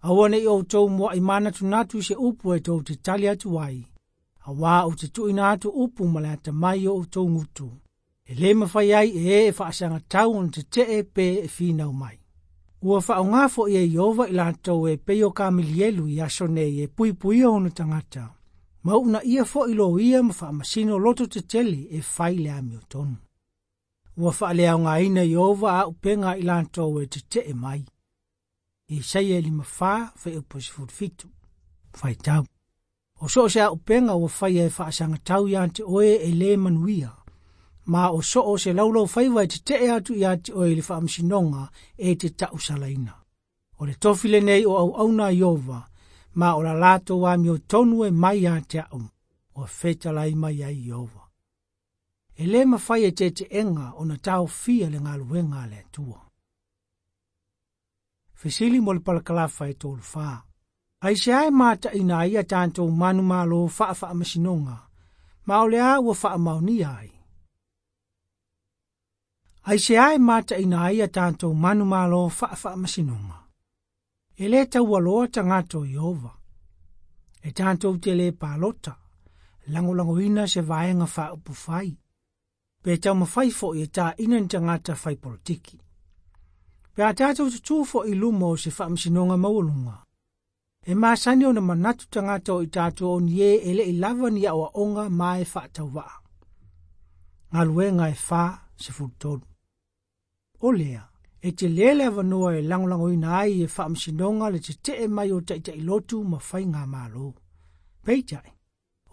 aua nei outou muai manatunatu i se upu e tou te tali atu ai, auā ou te tuuina atu upu ma le atamai o outou gutu, e le mafai ai e e e faasagatau ona tetee pe e finau mai. Ua faaaoga foi e Ieova i latou e pei o Kamilielu i aso nei e puipuia ona tagata, ma uunaia foi loia ma faamasino loto tetele e fai le amiotonu. Ua faaleaogaina Ieova auupega i latou e tetee mai. Isaia lima fa fuaiupu e sefulufitu. Faitau. O so o se auupega ua faia e faasagatau ia te oe e le manuia, ma o so o se laulau faiva e tetee atu ia te oe i le faamasinoga e te tausalaina. O le tofi lenei o auauna a Ieova, ma o la latou amiotonu e mai ia te au, ua fetalai mai ai Ieova. E le mafai e teteega ona taofia le galuega a le Atua. Fesili mo le palakalafa e tolu fa. Aisea e mataina ai a tatou manumalo faafaamasinoga, ma o le a ua faamaonia ai. Aisea e mataina ai a tatou manumalo faafaamasinoga. E le taualoa tagata o Ieova. E tatou te le palota, lagolagoina se vaega faaupufai. Pe taumafai foi e taina ni tagata fai politiki. Pe a tatou tutū foi i luma o se faamasinoga maualuga. E masani ona manatu tagata o i tatou o ni e e le'i lava ni aoaoga ma e faatauvaa. Galuega e fa sefulutolu. O lea, E te lele avanoa e lagolagoina ai e faamasinoga le tetee mai o taʻitaʻilotu ma faigamālō. Peitai,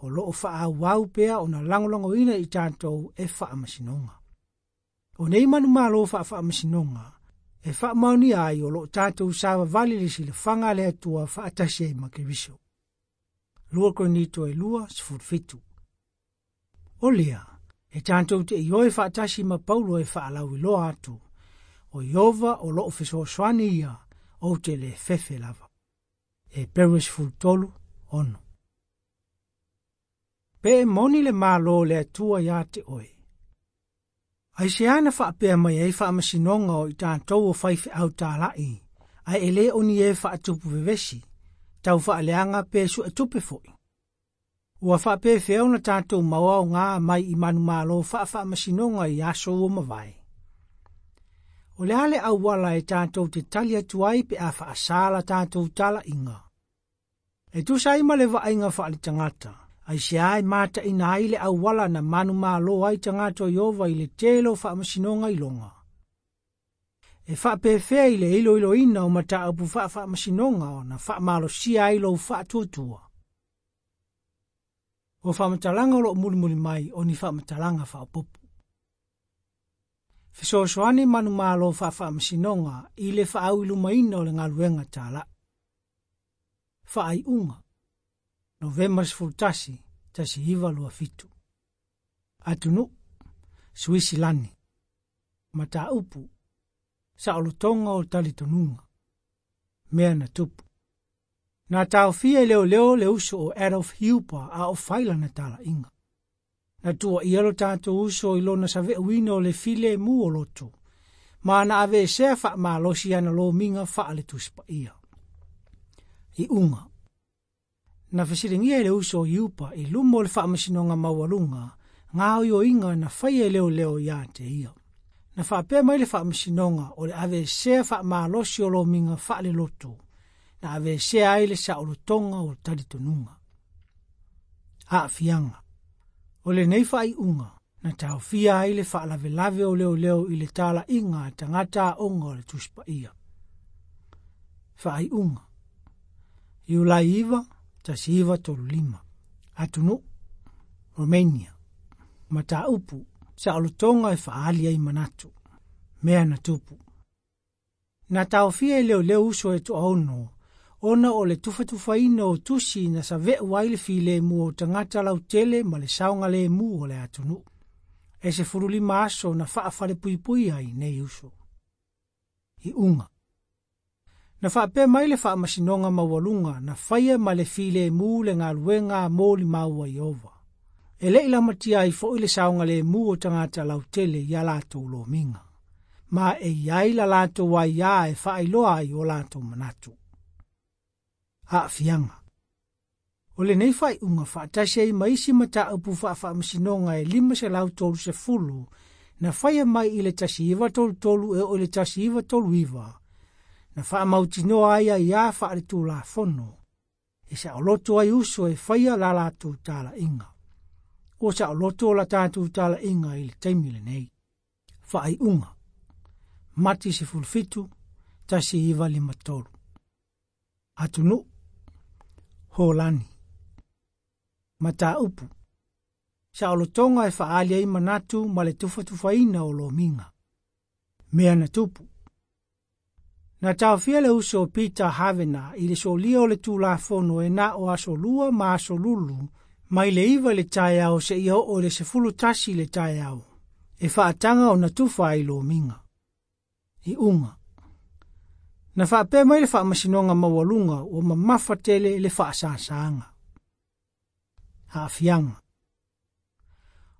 o loo faaauau pea ona lagolagoina i tatou e faamasinoga. O nei manumalo faafaamasinoga, e faamaonia ai o loo tatou savavali le silafaga a le Atua faatasi ai ma Keriso. Lua Korinito e lua, sefulu fitu. O lea, e tatou te ioe faatasi ma Paulo e faalauiloa atu, o Iova o loo fesoasoani ia, ou te le fefe lava. Heperu sefulu tolu, ono. Pe e moni le malo o le Atua ia te oe. Aisea na faapea mai ai faamasinoga o i tatou o faifeau talai, ae e le o ni e faatupu vevesi, tau faaleaga pe suetupe foi. Ua faapefea ona tatou maoaoga mai i manumalo faafaamasinoga i aso ua mavae. O le a le auala e tatou te tali atu ai pe a faasā la tatou talaiga. E tusa ai ma le vaaiga faaletagata, aisea e mataina ai le auala na manumalo ai tagata o Iova i le tele o faamasinoga iloga. E faapefea i le iloiloina o mataupu faafaamasinoga ona faamalosia ai lou faatuatua. O faamatalaga o loo mulimuli mai o ni faamatalaga faaopoopo. Fesoasoani manumalo faafaamasinoga i le faauilumaina o le galuega talai. Faaiuga. Novema sefulu tasi, tasi iva lua fitu. Atunuu, Suisilani. Mataupu, saolotoga o talitonuga. Mea na tupu. Na taofia e leoleo le uso o Adolf Huber a o fai lana talaiga. Na tuuaia lo tatou uso i lona saveauina o le filemu o loto, ma na aveesea faamalosi ana lomiga faale Tusi Paia. Iuga. Na fesiligia e le uso o Huber i luma o le faamasinoga maualuga, gaoioiga na faia e leoleo ia te ia. Na faapea mai le faamasinoga o le aveesea faamalosi o lomiga faaleloto, na aveesea ai le saolotoga o talitonuga. Aafiaga. O lenei faaiuga, na taofia ai le faalavelave o leoleo i le talaiga a tagata aoga o le Tusi Paia. Faaiuga. Iulai iva, tasi iva tolu lima. Atunuu, Romania. Mataupu, saolotoga e faaali ai manatu. Mea na tupu. Na taofia e leoleo uso e toaono, ona o le tufatufaina o tusi na save'u ai le filemu o tagata lautele ma le saogalemu o le atunuu. E sefulu lima aso na faafalepuipui ai nei uso. Iuga. Na faapea mai le faamasinoga maualuga na faia ma le filemu le galuega a molimau a Iova. E le i lamatia ai foi le saogalemu o tagata lautele ia latou lomiga. Ma e iai la latou aiā e faailoa ai o latou manatu. Aafiaga. O lenei faaiuga faatasi ai ma isi mataupu faafaamasinoga e lima selau tolu sefulu na faia mai i le tasi iva tolu tolu e oo i le tasi iva tolu iva, na faamautinoa ai aiā faaletulafono, e saoloto ai uso e faia la latou talaiga. Ua saoloto la tatou talaiga i le taimi lenei. Faaiuga. Mati sefulu fitu, tasi iva lima tolu. Atunuu, Holani. Mataupu. Saolotoga e faaali ai manatu ma le tufatufaina o lomiga. Mea na tupu. Na taofia le uso o Peter Havena i le solia o le tulafono e na o aso lua ma aso lulu, mai le iva le taeao seia oo i le sefulu tasi le taeao, e faataga ona tufa ai lomiga. Iuga. Na faapea mai le faamasinoga maualuga ua mamafa tele le faasasaga. Aafiaga.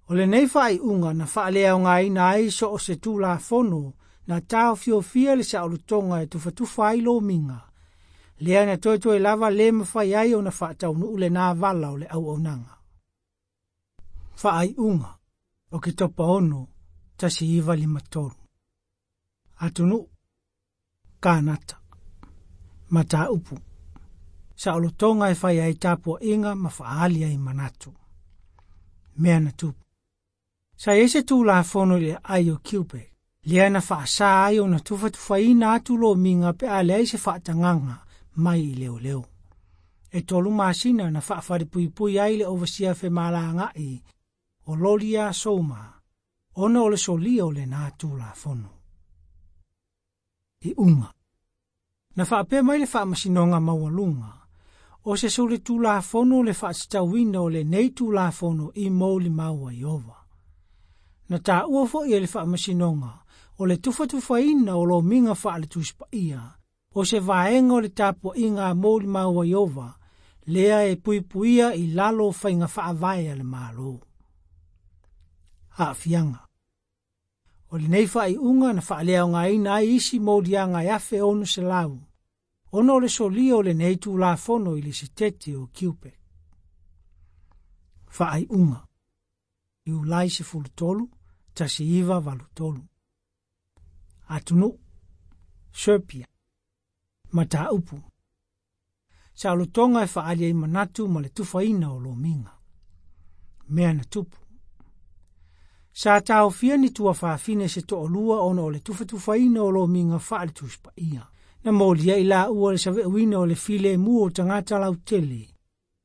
O lenei faaiuga na faaleaogaina ai so o se tulafono na taofiofia le saolotoga e tufatufa ai lomiga, lea na toetoe lava le mafai ai ona faataunuu lenā vala o le auaunaga. Faaiuga. Oketopa ono, tasi iva lima tolu. Atunuu, Kanata. Mataupu. Saolotoga e fai ai tapuaiga ma faaali ai manatu. Mea na tupu. Sa i ai se tulafono i le aai o Quebec, Lea na faasā ai ona tufatufaina atu lomiga pe a leai se faatagaga mai i leoleo. E tolu masina na faafalepuipui ai le ovasia femalagaai o Lolia Souma, ona o le solia o lenā Tulafono. Iuga. Na faapea mai le faamasinoga maualuga, o se solitulafono le faatatauina o lenei Tulafono i molimau a Ieova. Na taua foi e le faamasinoga o le tufatufaina o lomiga faale-Tusi Paia, o se vaega o le tapuaiga a molimau a Ieova, lea e puipuia i lalo o faiga faavae a le Malo. Aafiaga. O lenei faaiuga na faaleaogaina ai isi moliaga e afe ono selau, ona o le solia o lenei Tulafono i le Setete o Quebec. Faaiuga. Iulai sefulu tolu, tasi iva valu tolu. Atunuu. Serbia. Mataupu. Saolotoga e faaali ai manatu ma le tufaina o lomiga. Mea na tupu. Sa taofia ni tuafafine se toalua ona o le tufatufaina o lomiga faale-Tusi Paia. Na molia i laua le saveauina o le filemu o tagata lautele,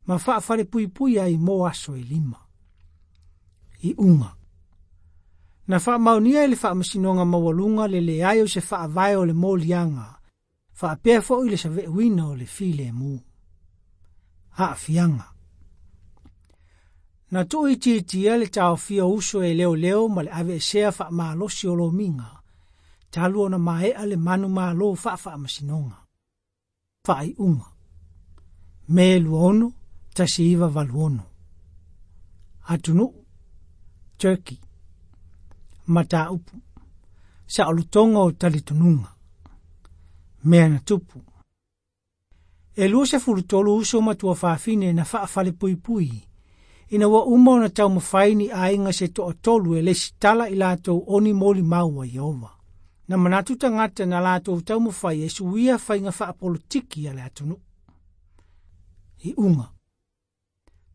ma faafalepuipui ai mo aso e lima. Iuga. Na faamaonia e le faamasinoga maualuga le leai o se faavae o le moliaga, faapea foi le saveauina o le filemu. Aafiaga. Na tuuitiitia le taofia uso e leoleo ma le aveesea faamalosi o lomiga, talu ona maea le manumalo faafaamasinoga. Faaiuga. Me lua ono, tasi iva valu ono. Atunuu. Turkey. Mataupu. Saolotoga o talitonuga. Mea na tupu. E luasefulu tolu uso ma tuafafine na faafalepuipui, ina ua uma ona taumafai ni aiga se toatolu e lesitala i latou oni molimau a Ieova. Na manatu tagata na latou taumafai e suia faiga faapolotiki a le atunuu. Iuga.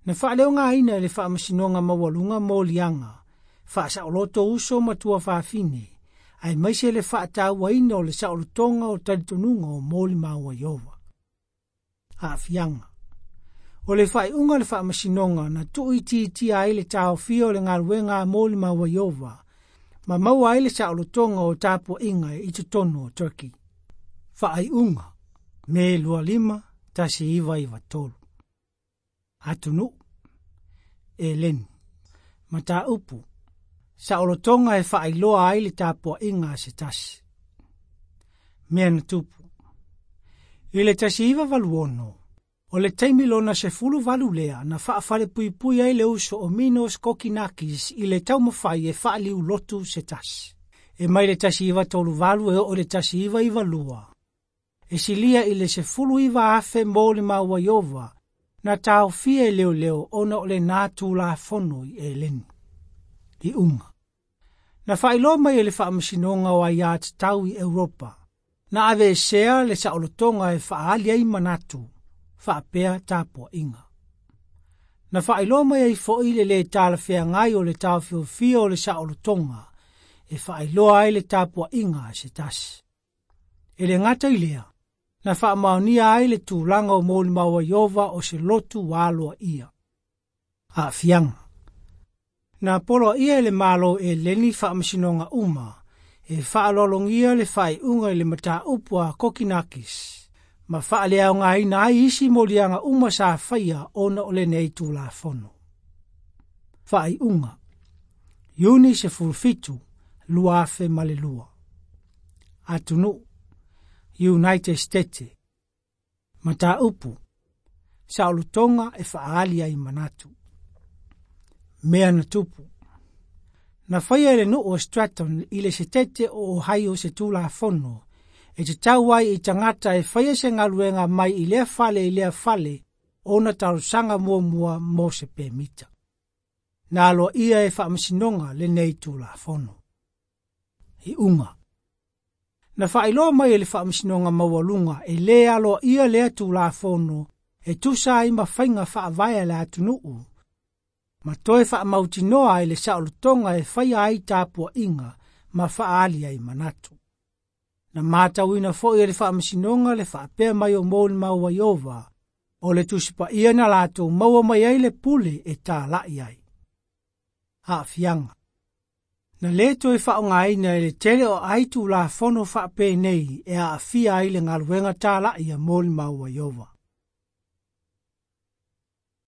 Na faaleogaina e le faamasinoga maualuga moliaga, faasaoloto uso ma tuafafine, aemaise le faatauaina o le saolotoga o talitonuga o molimau a Ieova. Aafiaga. O le faaiuga o le faamasinoga na tuuitiitia ai le taofia o le galuega a molimau a Ieova, ma maua ai le saolotoga o tapuaiga i totonu o Turkey. Faaiuga. Me lua lima, tasi iva iva tolu. Atunuu. Eleni. Mataupu. Saolotoga e faailoa ai le tapuaiga a se tasi. Mea na tupu. I le tasi iva valu ono, o le taimi lona sefulu valu lea na faafalepuipui ai le uso o Minos Kokinakis i le taumafai e faaliulotu se tasi. E mai le tasi iva tolu valu e oo le tasi iva iva lua. E silia i le sefulu iva afe molimau a Ieova na taofia e leoleo ona o lenā Tulafono i Eleni. Iuga. Na faailoa mai e le faamasinoga o aiā tatau i Europa, na aveesea le saolotoga e faaali ai manatu, faapea tapuaiga. Na faailoa mai ai foi le lē talafeagai o le taofiofia o le saolotoga e faailoa ai le tapuaiga a se tasi. E le gata i lea, na faamaonia ai le tulaga o molimau a Ieova o se lotu ua aloaia. Aafiaga. Na poloaia e le Malo Eleni faamasinoga uma, e faaloalogia le faaiuga i le mataupu a Kokinakis, ma faaleaogaina ai isi moliaga uma sa faia ona o lenei Tulafono. Faaiuga. Iuni sefulu fitu, lua afe ma le lua. Atunuu. United States. Mataupu. Saolotoga e faaali ai manatu. Mea na tupu. Na faia e le nuu o Stratton i le Setete o Ohio se Tulafono, e tatau ai i tagata e faia se galuega mai i lea fale i lea fale ona talosaga muamua mo se pemita. Na aloaia e faamasinoga lenei Tulafono. Iuga. Na faailoa mai e le faamasinoga maualuga e lē aloaia lea Tulafono e tusa ai ma faiga faavae a le atunuu, ma toe faamautinoa ai le saolotoga e faia ai tapuaiga ma faaali ai manatu. Na matauina foi e le faamasinoga le faapea mai o molimau a Ieova, o le Tusi Paia na latou maua mai ai le pule e tala'i ai. Aafiaga. Na lē toe faaaogaina e le tele o ai tulafono faapenei e aafia ai le galuega tala'i a molimau a Ieova.